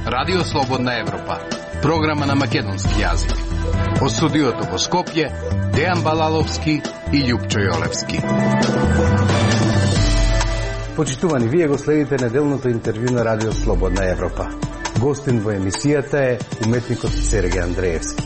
Радио Слободна Европа, програма на македонски јазик. Од студиото во Скопје, Дејан Балаловски и Љупчо Јолевски. Почитувани, вие го следите неделното интервју на Радио Слободна Европа. Гостин во емисијата е уметникот Сергеј Андреевски.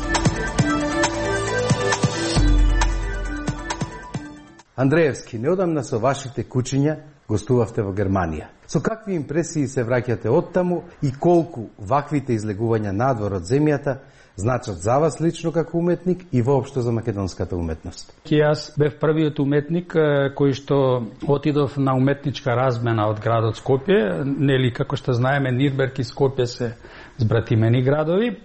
Андреевски, неодамна со вашите кучиња гостувавте во Германија. Со какви импресии се враќате оттаму и колку ваквите излегувања надвор од земјата значат за вас лично како уметник и воопшто за македонската уметност? Јас бев првиот уметник кој што отидов на уметничка размена од градот Скопје, нели како што знаеме Нирнберг и Скопје се збратимени градови.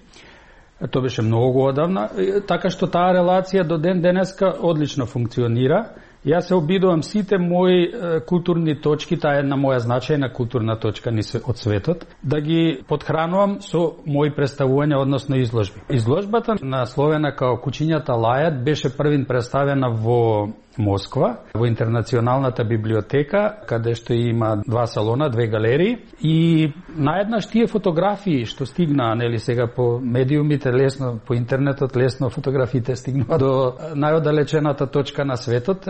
Тоа беше многу одавна, така што таа релација до ден денеска одлично функционира. Јас се обидувам сите мои културни точки, таа е една моја значајна културна точка од светот, да ги подхранувам со мои представувања, односно изложби. Изложбата насловена као Кучињата лајат беше првин представена во Москва, во Интернационалната библиотека, каде што има 2 салона, 2 галерии, и наеднаш тие фотографии што стигнаа, нели сега по медиумите лесно, по интернетот лесно фотографиите стигнаа до најоддалечената точка на светот,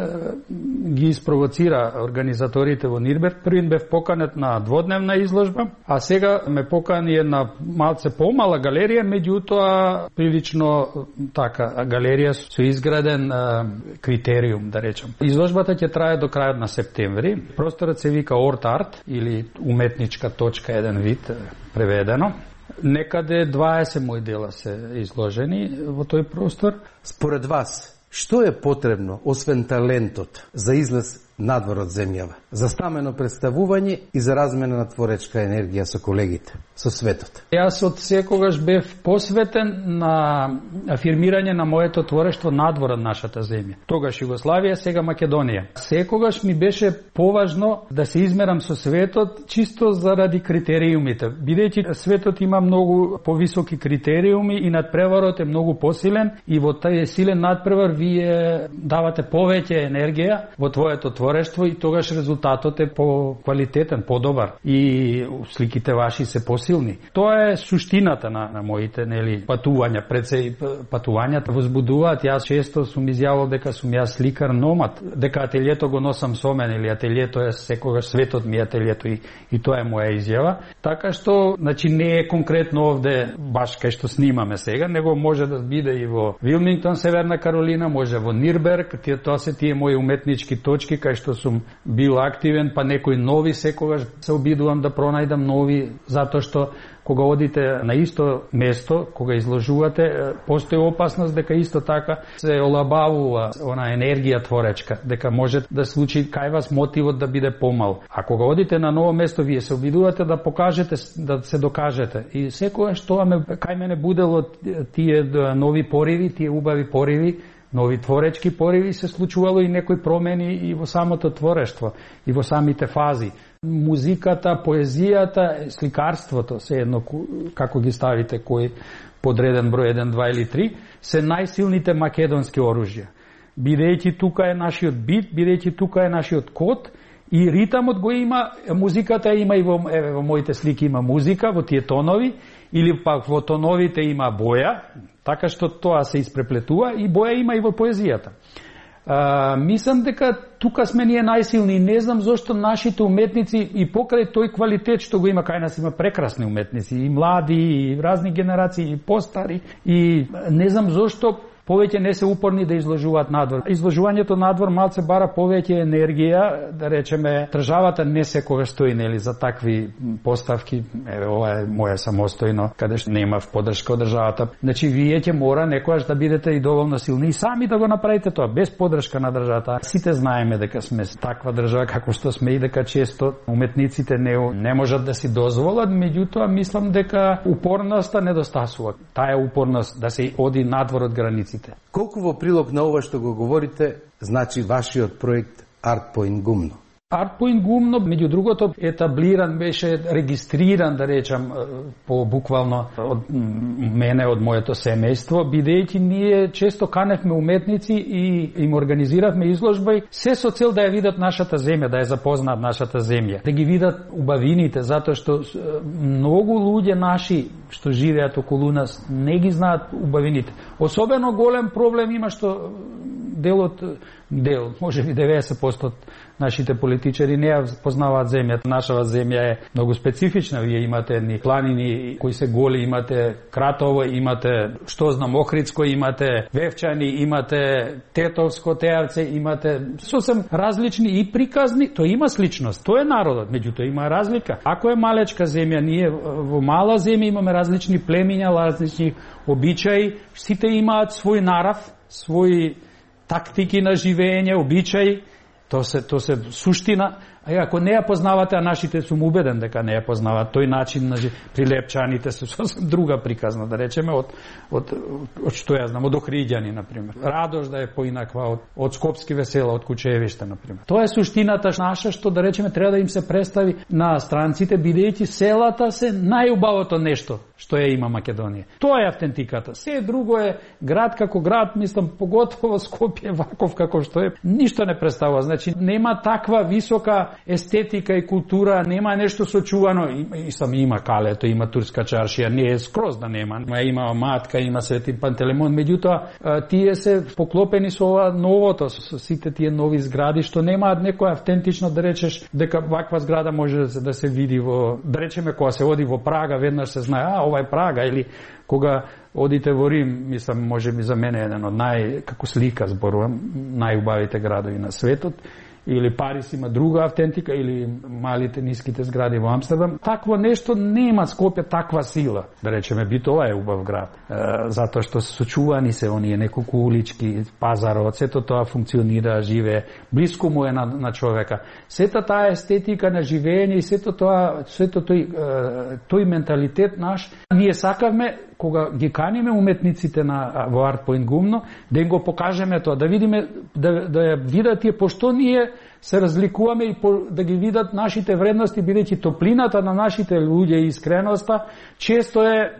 ги испровоцира организаторите во Нирнберг. Првин бев поканет на дводневна изложба, а сега ме покани една малце помала галерија, меѓутоа прилично така галерија со изграден критериум, да речем. Изложбата ќе трае до крајот на септември. Просторот се вика Орт Арт или уметничка точка, еден вид преведено. Некаде 20 мои дела се изложени во тој простор. Според вас, што е потребно, освен талентот, за излез надвор од земјава, за стамено представување и за размена на творечка енергија со колегите, со светот? Јас од секогаш бев посветен на афирмирање на моето творештво надвор од нашата земја. Тогаш Југославија, сега Македонија. Секогаш ми беше поважно да се измерам со светот чисто заради критериумите. Бидејќи светот има многу повисоки критериуми и надпреварот е многу посилен, и во тај силен надпревар вие давате повеќе енергија во твоето творештво и тогаш резултатот е по-квалитетен, по-добар и сликите ваши се посилни. Тоа е суштината на моите, нели, патувања. Пред се патувањата возбудуваат. Јас често сум изјавил дека сум јас сликар номад, дека ателието го носам со мене, или ателието е секогаш светот ми ателието, и тоа е моја изјава. Така што, значи, не е конкретно овде баш кај што снимаме сега, него може да биде и во Вилмингтон, Северна Каролина, може во Нирнберг. Тоа се тие мои уметнички точки кај што сум бил активен, па некои нови секогаш се обидувам да пронајдам нови, затоа што кога одите на исто место, кога изложувате, постои опасност дека исто така се олабавува она енергија творечка, дека може да случи кај вас мотивот да биде помал. А кога одите на ново место, вие се обидувате да покажете, да се докажете. И секогаш тоа кај мене будело тие нови пориви, тие убави пориви, нови творечки пориви, се случувало и некои промени и во самото творештво, и во самите фази. Музиката, поезијата, сликарството, се едно како ги ставите, кој подреден број 1, 2 или 3, се најсилните македонски оружја. Бидејќи тука е нашиот бит, бидејќи тука е нашиот код, и ритамот го има, музиката има и во моите слики има музика, во тие тонови, или пак во тоновите има боја, така што тоа се испреплетува, и боја има и во поезијата. Мислам дека тука сме ние најсилни, не знам зошто нашите уметници и покрај тој квалитет што го има кај нас, има прекрасни уметници, и млади, и разни генерации, и постари, и не знам зошто повеќе не се упорни да изложуваат надвор. Изложувањето надвор малце бара повеќе енергија, да речеме, државата не секогаш стои, нели, за такви поставки. Еве, ова е моја самостојно, каде што нема поддршка од државата. Значи, вие ќе мора некогаш да бидете и доволно силни и сами да го направите тоа, без поддршка на државата. Сите знаеме дека сме таква држава како што сме и дека често уметниците не можат да си дозволат, меѓутоа мислам дека упорноста недостасува. Таа е упорност да се оди надвор од границите. Колку во прилог на ова што го говорите, значи вашиот проект Art Point Гумно? Артпоинт Гумно, меѓу другото, етаблиран беше, регистриран, да речам, по буквално од мене, од моето семејство, бидејќи ние често каневме уметници и им организиравме изложба, се со цел да ја видат нашата земја, да ја запознаат нашата земја, да ги видат убавините, затоа што многу луѓе наши што живеат околу нас не ги знаат убавините. Особено голем проблем има што може би 90% од нашите политичари не ја познаваат земјата. Нашава земја е многу специфична. Вие имате едни планини кои се голи, имате Кратово, имате Охридско, имате Вевчани, имате Тетовско, Тејавце, имате сосем различни и приказни. Тоа има сличност, тоа е народот, меѓутоа има разлика. Ако е малечка земја, ние во мала земја имаме различни племиња, различни обичаи, сите имаат свој нарав, свој тактики на живење, обичаи, то се суштина. А ако не ја познавате, а нашите сум убеден дека не ја познаваат, тој начин на прилепчаните се сосем друга приказна, да речеме, од што ја знам, од Охриѓани, например. Радош да е поинаква од Скопски весела, од Кучевиште, например. Тоа е суштината наша, што, да речеме, треба да им се представи на странците, бидејќи селата се најубавото нешто што ја има Македонија. Тоа е автентиката. Се друго е град како град, мислам, поготово Скопје ваков како што е, ништо не представува. Значи, нема таква висока естетика и култура, нема нешто сочувано. Има Калето, има Турска чаршија, не е скроз да нема. Има Матка, има Свети Пантелеймон, меѓутоа тие се поклопени со ова новото, со сите тие нови згради што немаат некоја автентично, да речеш дека ваква зграда може да се види во, да речеме, кога се оди во Прага, веднаш се знае, ова е Прага, или кога одите во Рим, мислам, може би за мене еден од како слика зборувам, најубавите градови на светот, или Париз има друга автентика, или малите ниските згради во Амстердам. Такво нешто нема Скопје таква сила. Да речеме, Битола е убав град. Затоа што сочувани се оние неколку улички, пазарот, сето тоа функционира, живее, блиску му е на човека. Сета таа естетика на живење и сето тој менталитет наш, ние сакавме кога ги каниме уметниците во Артпоинт Гумно, да им го покажеме тоа, да видиме, да ја видат тие, пошто ние се разликуваме и да ги видат нашите вредности, бидејќи топлината на нашите луѓе и искреноста често е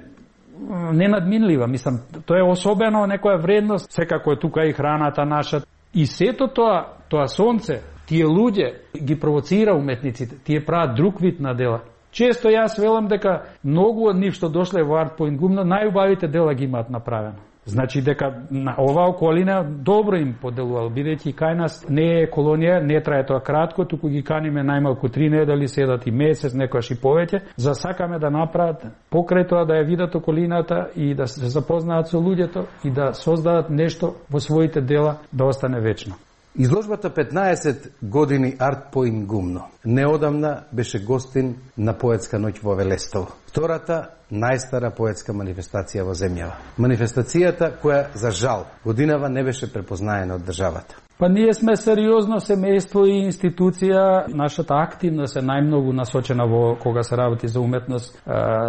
ненадминлива. Мислам, тоа е особено некоја вредност, секако е тука и храната наша. И сето тоа сонце, тие луѓе ги провоцира уметниците, тие прават друг вид на дела. Често јас велам дека многу од нив што дошле во Артпоинт Гумно, најубавите дела ги имаат направено. Значи дека на оваа околина добро им поделувал, бидејќи кај нас не е колонија, не трае тоа кратко, туку ги каниме најмалку 3 недели, седат и месец, некојаш и повеќе, за сакаме да направат покрај тоа да ја видат околината и да се запознаат со луѓето и да создадат нешто во своите дела да остане вечно. Изложбата 15 години Артпоинт Гумно неодамна беше гостин на поетска ноќ во Велестово. Втората најстара поетска манифестација во земјава. Манифестацијата која, за жал, годинава не беше препознаена од државата. Па ние сме сериозно семејство и институција. Нашата активност е најмногу насочена во кога се работи за уметност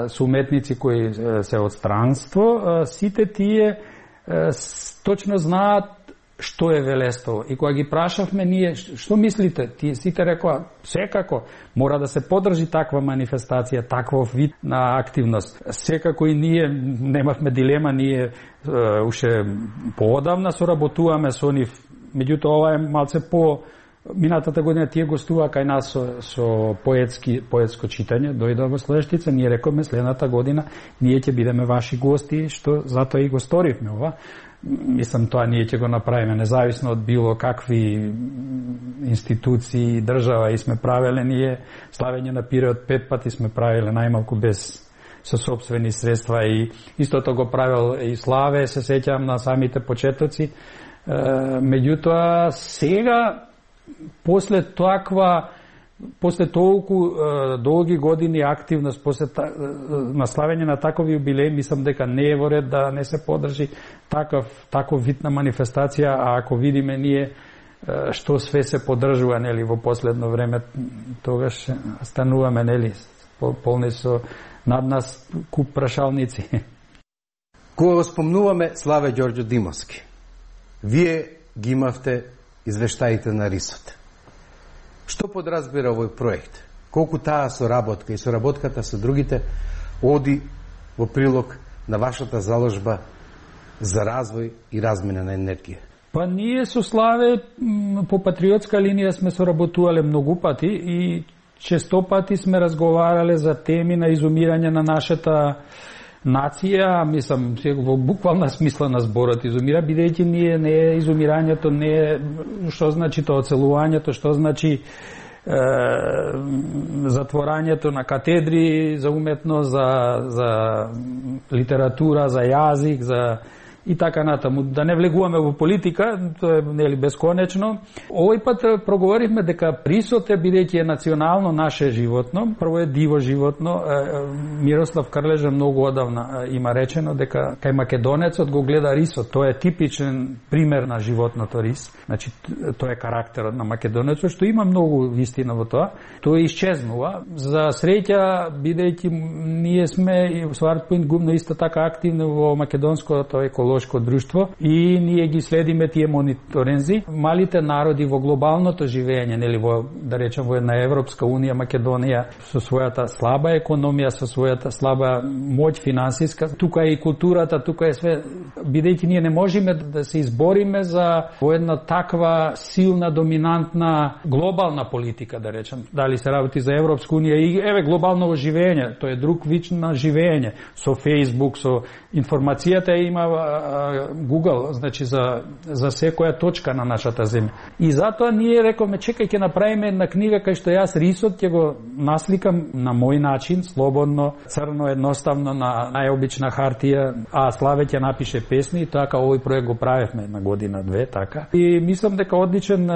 со уметници кои се од странство. Сите тие точно знаат што е Велестово. И кога ги прашавме ние, што мислите? Тие сите рекоа, секако мора да се подржи таква манифестација, таков вид на активност. Секако и ние немавме дилема, ние уште поодавна соработуваме со нив. Меѓутоа ова е малце по минатата година тие гостува кај нас со поетско читање, дојдоа во Слоештица, ние рековме следната година ние ќе бидеме ваши гости, што затоа и го сторивме ова. Мислам, тоа ние ќе го направиме независно од било какви институции, држава и сме правеле ние славење на Пиреот 5 пати сме правеле најмалку без со сопствени средства и истото го правел и Славе, се сеќавам на самите почетоци. Меѓутоа сега после толку долги години активност, после наславење на такови юбилеи, мислам дека не е во ред да не се подржи таков вид на манифестација, а ако видиме ние што све се подржува, нели, во последно време, тогаш стануваме, нели, полни со над нас куп прашалници. Кога го спомнуваме Славе Ѓорѓо Димовски, вие ги имавте извештаите на Рисот. Што подразбира овој проект? Колку таа соработка и соработката со другите оди во прилог на вашата заложба за развој и размена на енергија? Па ние со Славе по патриотска линија сме соработувале многу пати и често пати сме разговарале за теми на изумирање на нашата нација, мислам, во буквална смисла на зборот изумира, бидејќи ние не е изумирањето, не е што значи тоа оцелувањето, што значи затворањето на катедри за уметност, за литература, за јазик, за и така натаму. Да не влегуваме во политика, тоа е нели бесконечно. Овој пат проговоривме дека присот е, бидејќи е национално наше животно, прво е диво животно. Мирослав Крлежа многу одавна има речено дека кај македонецот го гледа рисот. Тоа е типичен пример на животното рис. Значи тоа е карактерот на македонецот, што има многу вистина во тоа. Тоа исчезнува. За среќа, бидејќи ние сме и во Свартпоинт гумно исто така активни во македонското екологија друштво и ние ги следиме тие мониторинзи. Малите народи во глобалното живење, нели во, да речем, во една Европска унија, Македонија со својата слаба економија, со својата слаба моќ финансиска, тука е и културата, тука е све, бидејќи ние не можеме да се избориме за во една таква силна, доминантна глобална политика, да речем. Дали се работи за Европска унија и еве глобално живење, тоа е друг вид на живење, со Facebook, со информацијата има Google, значи за секоја точка на нашата земја. И затоа ние рековме, чекај, ќе направиме една книга кај што јас рисот ќе го насликам на мој начин, слободно, црно, едноставно, на најобична хартија, а Славе ќе напише песни и така овој проект го правевме една година, две, така. И мислам дека одличен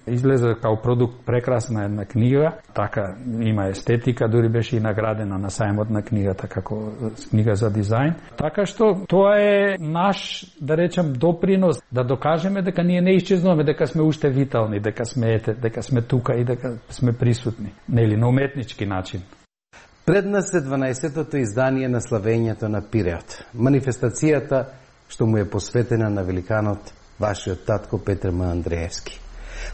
излезе као продукт, прекрасна една книга, така има естетика, дури беше и наградена на сајмот на книгата како книга за дизајн. Така што тоа е наш, да речем, допринос да докажеме дека ние не исчезнуваме, дека сме уште витални, дека сме тука и дека сме присутни, нели, на уметнички начин. Пред нас е 12-тото издание на славењето на Пиреот. Манифестацијата што му е посветена на великанот вашиот татко Петр М. Андреевски.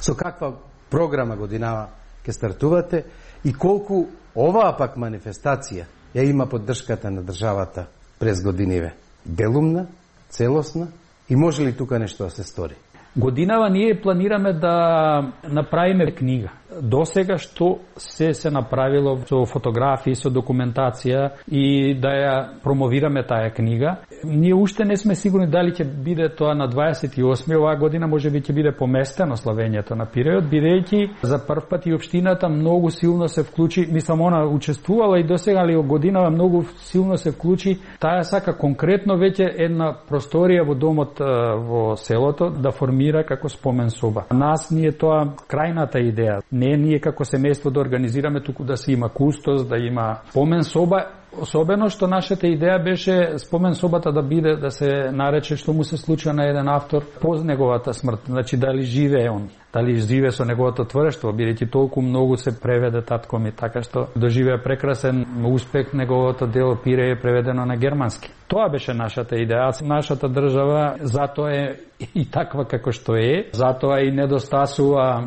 Со каква програма годинава ќе стартувате и колку оваа пак манифестација ја има поддршката на државата през годиниве? Делумна, целосна и може ли тука нешто да се стори? Годинава ние планираме да направиме книга. До сега што се направило со фотографии, со документација и да ја промовираме таа книга. Ние уште не сме сигурни дали ќе биде тоа на 28 оваа година, може би ќе биде поместено славењето на Пиреот, бидејќи за прв пат и општината многу силно се вклучи, мислам она учествувала и досега, али годинава многу силно се вклучи, таа сака конкретно веќе една просторија во домот во селото да формира како спомен соба. Нас ние тоа крајната идеја. Не ние како семејство да организираме, туку да се има кустос, да има спомен соба, особено што нашата идеја беше спомен собата да биде, да се нарече што му се случува на еден автор по неговата смрт, значи дали живее он, дали живее со неговото творештво, бидејќи толку многу се преведе татко ми, така што доживеа прекрасен успех, неговото дело Пире е преведено на германски. Тоа беше нашата идеја. Нашата држава затоа е и таква како што е, затоа и недостасува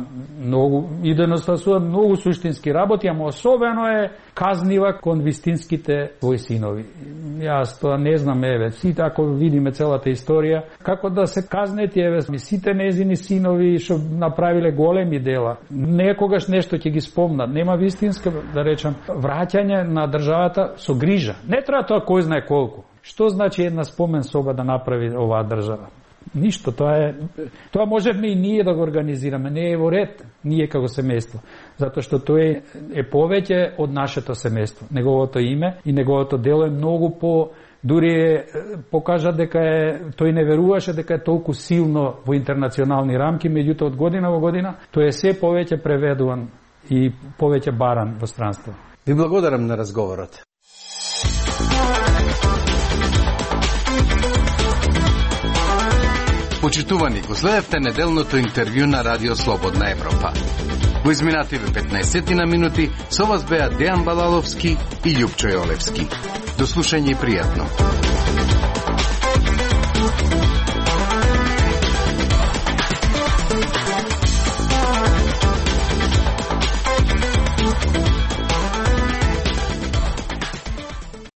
многу суштински работи, ама особено е казнива кон вистинските своји синови. Јас тоа не знам, еве, сите ако видиме целата историја, како да се казнети, еве, сите незини синови што направиле големи дела. Некогаш нешто ќе ги спомнат. Нема вистинска, да речам, враќање на државата со грижа. Не треба тоа кој знае колку. Што значи една спомен соба да направи оваа држава? Ништо, тоа можеме и ние да го организираме, не е во ред ние како семејство, затоа што тој е повеќе од нашето семејство. Неговото име и неговото дело е многу дури покажа дека тој не веруваше дека е толку силно во интернационални рамки, меѓутоа од година во година тој е се повеќе преведуван и повеќе баран во странство. Ви благодарам на разговорот. Почитувани, го следевте неделното интервју на Радио Слободна Европа. Во изминативе 15 минути со вас беа Дејан Балаловски и Љупчо Јолевски. До слушање и пријатно.